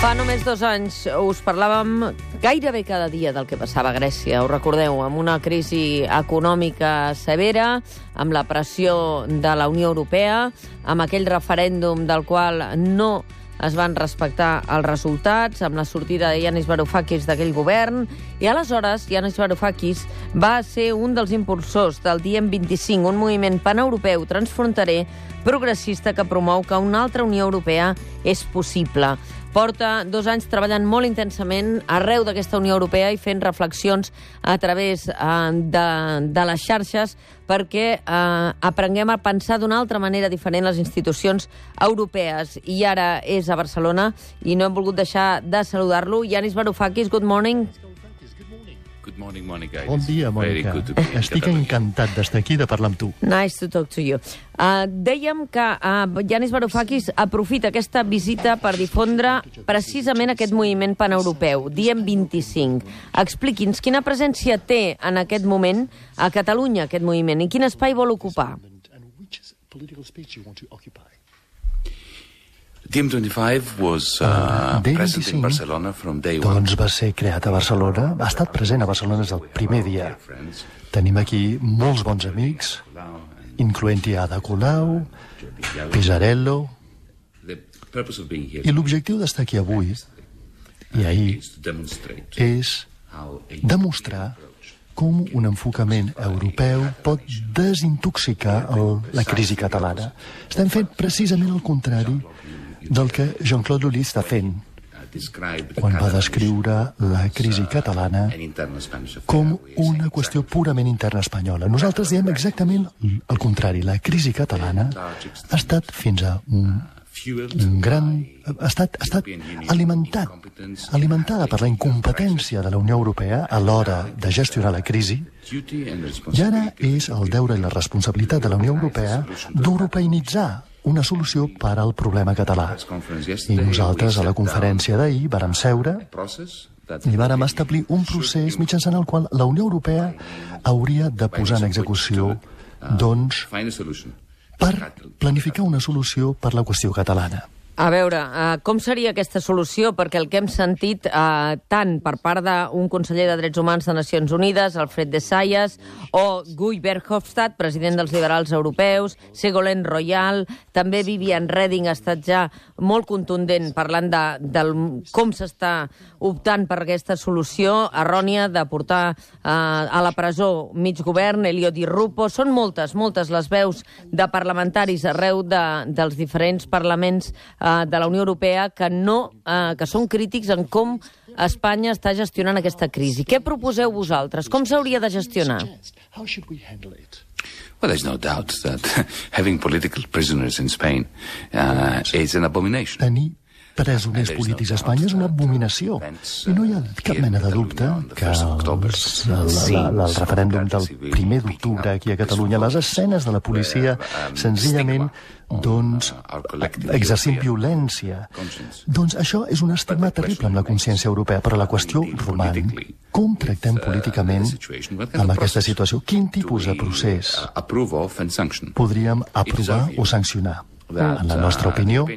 Fa només 2 anys us parlàvem gairebé cada dia del que passava a Grècia, ho recordeu, amb una crisi econòmica severa, amb la pressió de la Unió Europea, amb aquell referèndum del qual no es van respectar els resultats, amb la sortida de Yanis Varoufakis d'aquell govern, i aleshores Yanis Varoufakis va ser un dels impulsors del Diem 25, un moviment paneuropeu transfronterer progressista que promou que una altra Unió Europea és possible. Porta 2 anys treballant molt intensament arreu d'aquesta Unió Europea i fent reflexions a través de les xarxes perquè aprenguem a pensar d'una altra manera diferent les institucions europees. I ara és a Barcelona i no hem volgut deixar de saludar-lo. Yanis Varoufakis, good morning. Good morning, Monica. Bon dia, Mònica. Estic encantat d'estar aquí i de parlar amb tu. Nice to talk to you. Dèiem que Yanis Varoufakis aprofita aquesta visita per difondre precisament aquest moviment paneuropeu, Diem 25. Expliqui'ns quina presència té en aquest moment a Catalunya, aquest moviment, i quin espai vol ocupar. Diem 25 was present in Barcelona from day one. Doncs va ser creat a Barcelona, ha estat present a Barcelona des del primer dia. Tenim aquí molts bons amics, incloent-hi Ada Colau, Pisarello, i l'objectiu d'estar aquí avui i ahir és demostrar com un enfocament europeu pot desintoxicar la crisi catalana. Estem fent precisament el contrari del que Jean-Claude Lully està fent quan va descriure la crisi catalana com una qüestió purament interna espanyola. Nosaltres diem exactament el contrari. La crisi catalana ha estat fins a un gran... ha estat alimentada per la incompetència de la Unió Europea a l'hora de gestionar la crisi, i ara és el deure i la responsabilitat de la Unió Europea d'europeïnitzar una solució per al problema català. I nosaltres, a la conferència d'ahir, vàrem seure i vàrem establir un procés mitjançant el qual la Unió Europea hauria de posar en execució, doncs, per planificar una solució per la qüestió catalana. A veure, com seria aquesta solució? Perquè el que hem sentit tant per part d'un conseller de Drets Humans de Nacions Unides, Alfred de Sayas, o Guy Verhofstadt, president dels liberals europeus, Ségolène Royal, també Viviane Reding ha estat ja molt contundent parlant de com s'està optant per aquesta solució errònia de portar a la presó mig govern, Elio Di Rupo. Són moltes les veus de parlamentaris arreu dels diferents parlaments de la Unió Europea que són crítics en com Espanya està gestionant aquesta crisi. Què proposeu vosaltres? Com s'hauria de gestionar? Well, there's no doubt that having political prisoners in Spain is an abomination. Tenir presoners polítics a Espanya és una abominació. I no hi ha cap mena de dubte que el referèndum del 1 d'octubre aquí a Catalunya, les escenes de la policia senzillament exercint violència, doncs això és un estigma terrible amb la consciència europea, però la qüestió roman. Com tractem políticament amb aquesta situació? Quin tipus de procés podríem aprovar o sancionar? En la nostra opinió,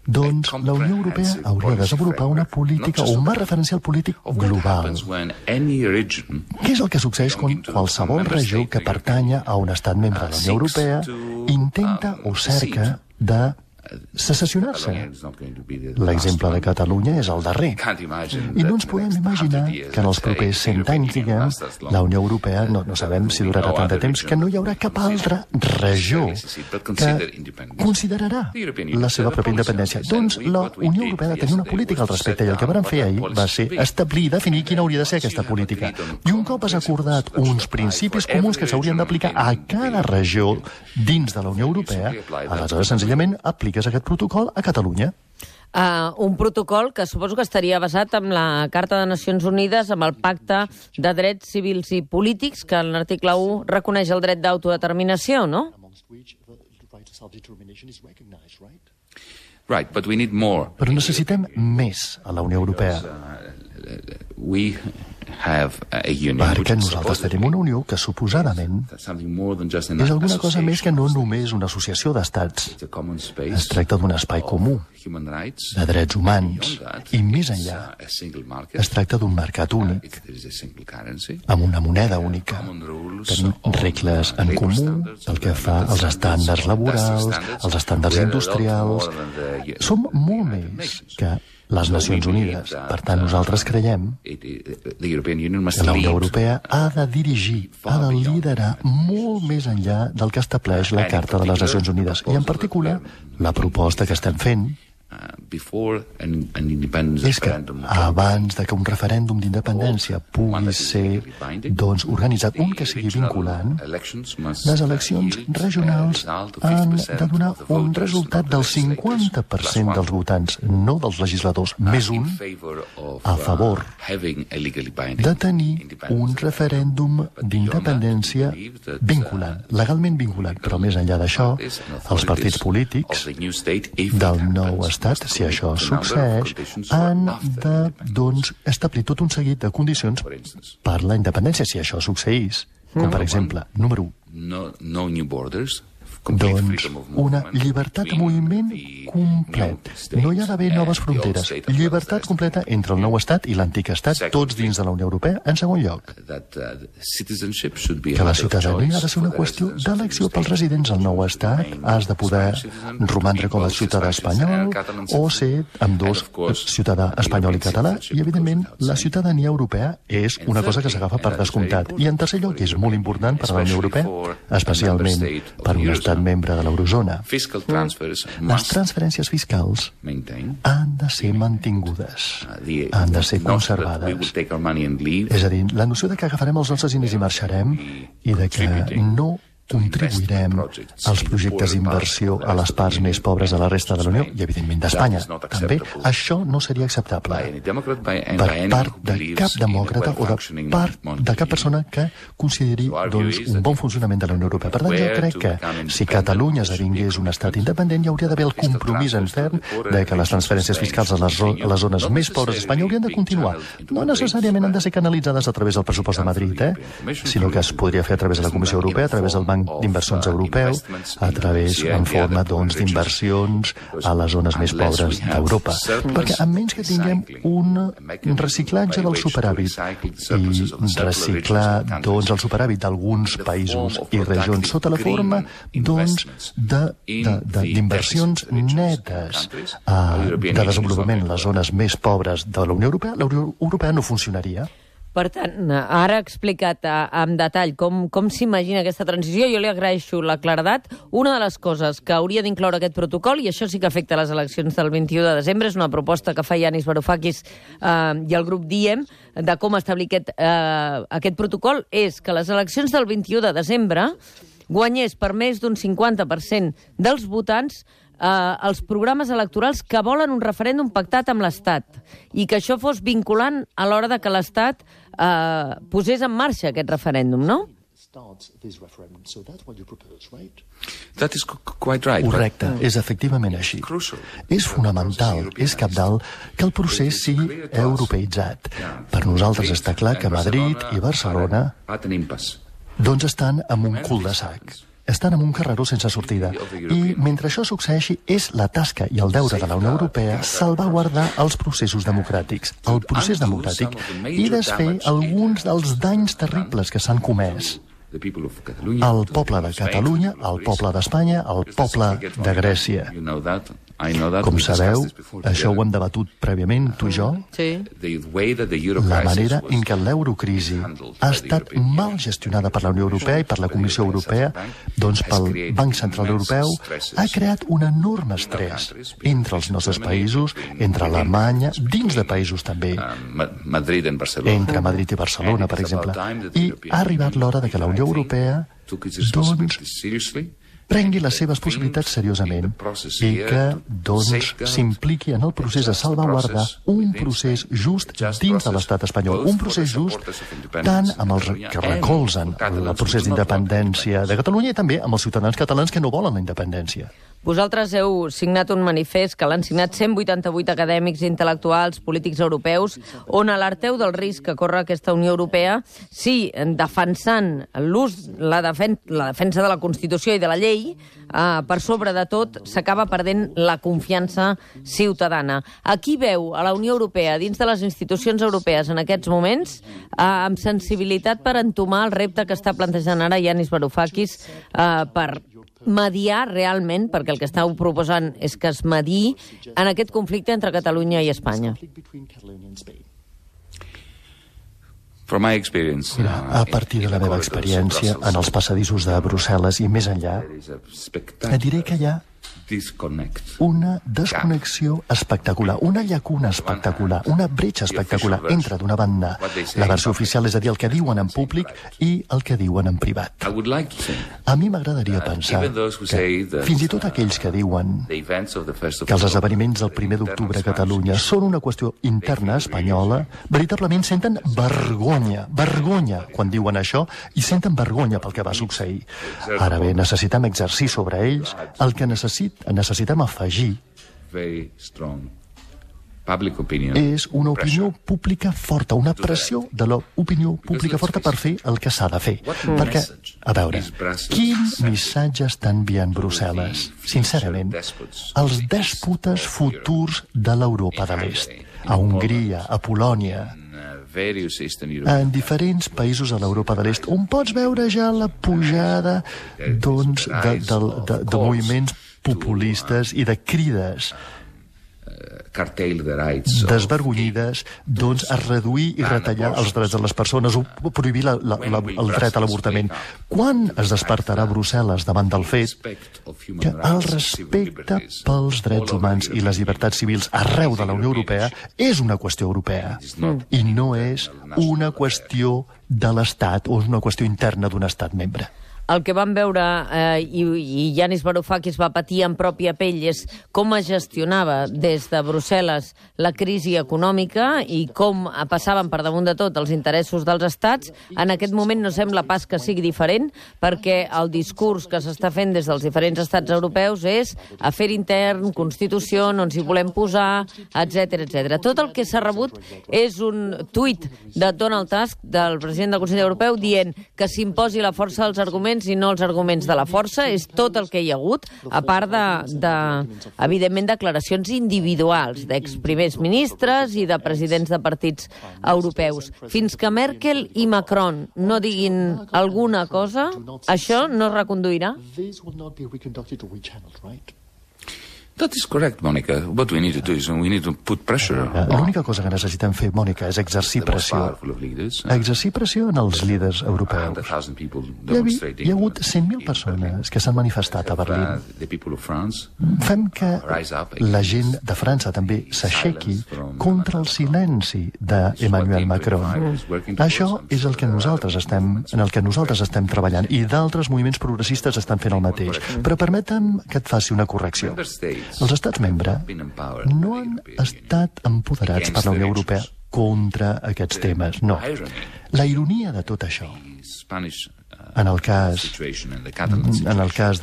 doncs la Unió Europea hauria de desenvolupar una política o un marc referencial polític global. Què és el que succeeix quan qualsevol regió que pertanya a un estat membre de la Unió Europea intenta o cerca de secessionar-se? L'exemple de Catalunya és el darrer. I no ens podem imaginar que en els propers 100 anys, diguem, la Unió Europea, no sabem si durarà tant de temps, que no hi haurà cap altra regió que considerarà la seva pròpia independència. Doncs la Unió Europea ha de tenir una política al respecte, i el que vam fer ahir va ser establir i definir quina hauria de ser aquesta política. I un cop has acordat uns principis comuns que s'haurien d'aplicar a cada regió dins de la Unió Europea, aleshores senzillament apliques aquest protocol a Catalunya. Un protocol que suposo que estaria basat en la Carta de Nacions Unides, amb el Pacte de Drets Civils i Polítics, que en l'article 1 reconeix el dret d'autodeterminació, no? Però necessitem més a la Unió Europea. Perquè nosaltres tenim una unió que suposadament és alguna cosa més que no només una associació d'estats. Es tracta d'un espai comú de drets humans i més enllà es tracta d'un mercat únic amb una moneda única. Tenim regles en comú pel que fa als estàndards laborals, als estàndards industrials. Som molt més que les Nacions Unides. Per tant, nosaltres creiem que la Unió Europea ha de dirigir, ha de liderar molt més enllà del que estableix la Carta de les Nacions Unides. I en particular, la proposta que estem fent és que abans de que un referèndum d'independència pugui ser organitzat, un que sigui vinculant, les eleccions regionals han de donar un resultat del 50% dels votants, no dels legisladors, més un, a favor de tenir un referèndum d'independència vinculant, legalment vinculant. Però més enllà d'això, els partits polítics del nou estat, si això succeeix, han de, establir tot un seguit de condicions per la independència. Si això succeís, com per exemple, número 1, una llibertat de moviment complet. No hi ha d'haver noves fronteres. Llibertat completa entre el nou estat i l'antic estat, tots dins de la Unió Europea. En segon lloc, que la ciutadania ha de ser una qüestió d'elecció pels residents al nou estat. Has de poder romandre com a ciutadà espanyol o ser ambdós, ciutadà espanyol i català. I, evidentment, la ciutadania europea és una cosa que s'agafa per descomptat. I, en tercer lloc, és molt important per a la Unió Europea, especialment per un estat membre de l'eurozona. Les transferències fiscals han de ser mantingudes, han de ser conservades. És a dir, la noció de que agafarem els nostres diners i marxarem i de que no contribuirem als projectes d'inversió a les parts més pobres de la resta de la Unió i, evidentment, d'Espanya. També això no seria acceptable per part de cap demòcrata o de part de cap persona que consideri un bon funcionament de la Unió Europea. Per tant, jo crec que si Catalunya esdevingués un estat independent, hi hauria d'haver el compromís en ferm de que les transferències fiscals a les zones més pobres d'Espanya haurien de continuar. No necessàriament han de ser canalitzades a través del pressupost de Madrid, sinó que es podria fer a través de la Comissió Europea, a través del Banc d'inversions europeu, a través, en forma d'inversions a les zones més pobres d'Europa. Perquè a menys que tinguem un reciclatge del superàvit i reciclar el superàvit d'alguns països i regions sota la forma d'inversions netes de desenvolupament en les zones més pobres de la Unió Europea no funcionaria. Per tant, ara ha explicat en detall com s'imagina aquesta transició. Jo li agraeixo la claredat. Una de les coses que hauria d'incloure aquest protocol, i això sí que afecta les eleccions del 21 de desembre, és una proposta que fa Yanis Varoufakis i el grup Diem de com establir aquest protocol, és que les eleccions del 21 de desembre guanyés per més d'un 50% dels votants els programes electorals que volen un referèndum pactat amb l'Estat i que això fos vinculant a l'hora de que l'Estat posés en marxa aquest referèndum, no? Correcte, és efectivament així. És fonamental, és cabdal que el procés sigui europeïtzat. Per nosaltres està clar que Madrid i Barcelona estan en un cul-de-sac. Estan en un carreró sense sortida. I mentre això succeeixi, és la tasca i el deure de la Unió Europea salvaguardar els processos democràtics, el procés democràtic, i desfer alguns dels danys terribles que s'han comès. El poble de Catalunya, el poble d'Espanya, el poble de Grècia. Com sabeu, això ho hem debatut prèviament, tu i jo. La manera en què l'eurocrisi ha estat mal gestionada per la Unió Europea i per la Comissió Europea, pel Banc Central Europeu, ha creat un enorme estrès entre els nostres països, entre Alemanya, dins de països també, entre Madrid i Barcelona, per exemple. I ha arribat l'hora de que la Unió Europea prengui les seves possibilitats seriosament i que, s'impliqui en el procés de salvaguardar un procés just dins de l'estat espanyol. Un procés just tant amb els que recolzen el procés d'independència de Catalunya i també amb els ciutadans catalans que no volen la independència. Vosaltres heu signat un manifest que l'han signat 188 acadèmics, intel·lectuals, polítics europeus, on alerteu del risc que corre aquesta Unió Europea si, defensant la defensa de la Constitució i de la llei, per sobre de tot, s'acaba perdent la confiança ciutadana. A qui veu a la Unió Europea, dins de les institucions europees en aquests moments, amb sensibilitat per entomar el repte que està plantejant ara Yanis Varoufakis per mediar realment, perquè el que estàu proposant és que es mediï en aquest conflicte entre Catalunya i Espanya? Mira, a partir de la meva experiència en els passadissos de Brussel·les i més enllà, et diré que hi ha una desconnexió espectacular, una llacuna espectacular, una bretxa espectacular entre, d'una banda, la versió oficial, és a dir, el que diuen en públic, i el que diuen en privat. A mi m'agradaria pensar que fins i tot aquells que diuen que els esdeveniments del 1 d'octubre a Catalunya són una qüestió interna espanyola, veritablement senten vergonya quan diuen això, i senten vergonya pel que va succeir. Ara bé, necessitem exercir sobre ells el que necessitem afegir és una opinió pública forta, una pressió de l'opinió pública forta per fer el que s'ha de fer. Perquè, a veure, quin missatge està enviant Brussel·les? Sincerament, els dèspotes futurs de l'Europa de l'Est, a Hongria, a Polònia, en diferents països de l'Europa de l'Est, on pots veure ja la pujada de moviments populistes i de crides desvergonyides a reduir i retallar els drets de les persones o prohibir el dret a l'avortament. Quan es despertarà Brussel·les davant del fet que el respecte pels drets humans i les llibertats civils arreu de la Unió Europea és una qüestió europea i no és una qüestió de l'Estat o és una qüestió interna d'un Estat membre? El que vam veure, i Yanis Varoufakis va patir en pròpia pell, és com es gestionava des de Brussel·les la crisi econòmica i com passaven per damunt de tot els interessos dels estats. En aquest moment no sembla pas que sigui diferent, perquè el discurs que s'està fent des dels diferents estats europeus és afer intern, constitució, no ens hi volem posar, etc. Tot el que s'ha rebut és un tuit de Donald Tusk, del president del Consell Europeu, dient que s'imposi la força dels arguments i no els arguments de la força. És tot el que hi ha hagut, a part evidentment, declaracions individuals d'exprimers ministres i de presidents de partits europeus. Fins que Merkel i Macron no diguin alguna cosa, això no es reconduirà? That is correct, Monica. What we need to do is we need to put pressure. L'única cosa que necessitem fer, Mònica, és exercir pressió. Exercir pressió en els líders europeus. Hi ha hagut 100.000 persones que s'han manifestat a Berlín. Fem que la gent de França també s'aixequi contra el silenci d'Emmanuel Macron. Això és en el que nosaltres estem treballant, i d'altres moviments progressistes estan fent el mateix. Però permetem que et faci una correcció. Els estats membres no han estat empoderats per la Unió Europea contra aquests temes, no. La ironia de tot això, en el cas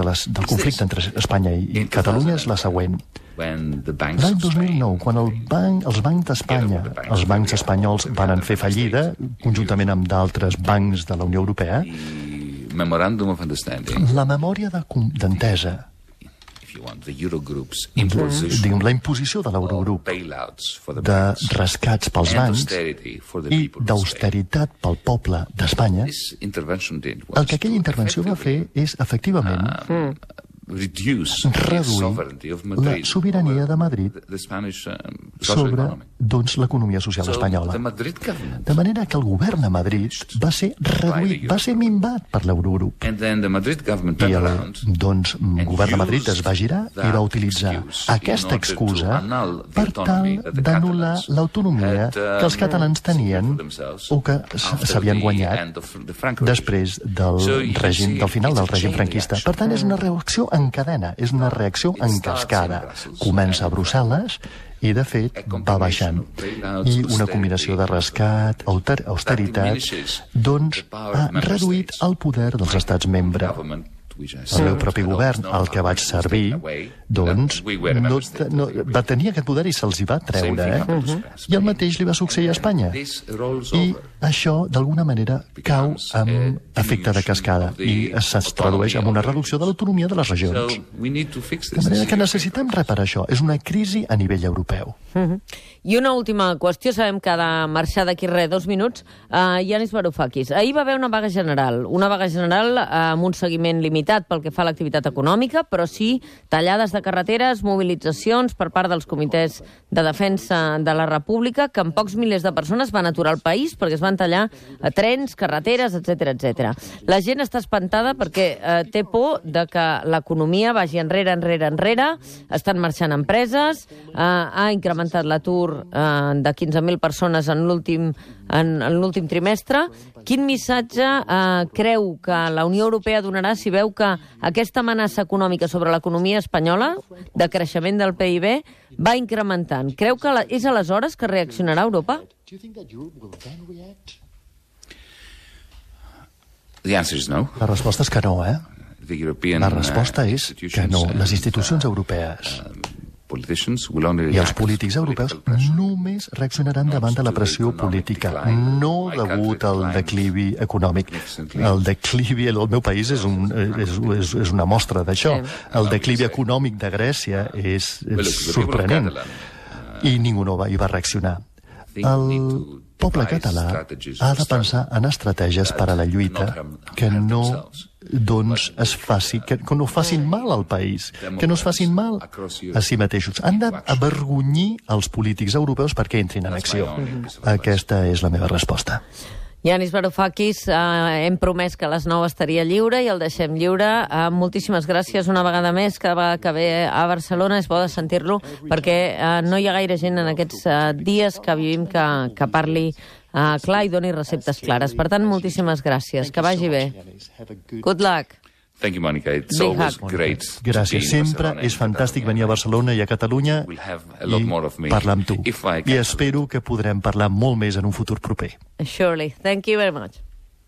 del conflicte entre Espanya i Catalunya, és la següent. L'any 2009, quan els bancs d'Espanya, els bancs espanyols, van fer fallida, conjuntament amb d'altres bancs de la Unió Europea, la memòria d'entesa, diguem, la imposició de l'Eurogrup de rescats pels bancs i d'austeritat pel poble d'Espanya, el que aquella intervenció va fer és, efectivament, reduir la sobirania de Madrid sobre l'economia social espanyola. De manera que el govern de Madrid va ser reduït, va ser minvat per l'Eurogrup. I el govern de Madrid es va girar i va utilitzar aquesta excusa per tal d'anul·lar l'autonomia que els catalans tenien o que s'havien guanyat després del final del règim franquista. Per tant, és una reacció en cadena, és una reacció en cascada. Comença a Brussel·les i, de fet, va baixant. I una combinació de rescat, austeritat, ha reduït el poder dels estats membres el meu propi govern, el que vaig servir, doncs no va tenir aquest poder i se'ls hi va treure. I el mateix li va succeir a Espanya. I això, d'alguna manera, cau amb efecte de cascada i es tradueix en una reducció de l'autonomia de les regions. De manera que necessitem reparar això. És una crisi a nivell europeu. I una última qüestió, sabem que ha de marxar d'aquí 2 minuts. Yanis Varoufakis, ahir va haver una vaga general amb un seguiment limitat pel que fa a l'activitat econòmica, però sí tallades de carreteres, mobilitzacions per part dels comitès de defensa de la República, que amb pocs milers de persones van aturar el país perquè es van tallar trens, carreteres, etc. La gent està espantada perquè té por de que l'economia vagi enrere, estan marxant empreses, ha incrementat l'atur de 15.000 persones en l'últim trimestre. Quin missatge creu que la Unió Europea donarà si veu que aquesta amenaça econòmica sobre l'economia espanyola, de creixement del PIB, va incrementant? Creu que és aleshores que reaccionarà Europa? La resposta és que no, La resposta és que no. Les institucions europees i els polítics europeus només reaccionaran davant de la pressió política, no degut al declivi econòmic. El declivi al meu país és una mostra d'això. El declivi econòmic de Grècia és sorprenent i ningú no hi va reaccionar. El poble català ha de pensar en estratègies per a la lluita que no facin mal al país, que no es facin mal a si mateixos. Han d'avergonyir els polítics europeus perquè entrin en acció. Aquesta és la meva resposta. Yanis Varoufakis, hem promès que a les 9 estaria lliure i el deixem lliure. Moltíssimes gràcies una vegada més, cada vegada que ve a Barcelona és bo de sentir-lo, perquè no hi ha gaire gent en aquests dies que vivim que parli clar i doni receptes clares. Per tant, moltíssimes gràcies. Que vagi bé. Good luck. Thank you, Monica. It's always great. Gràcies. Sempre és fantàstic venir a Barcelona i a Catalunya i parlar amb tu. I espero que podrem parlar molt més en un futur proper. Surely. Thank you very much.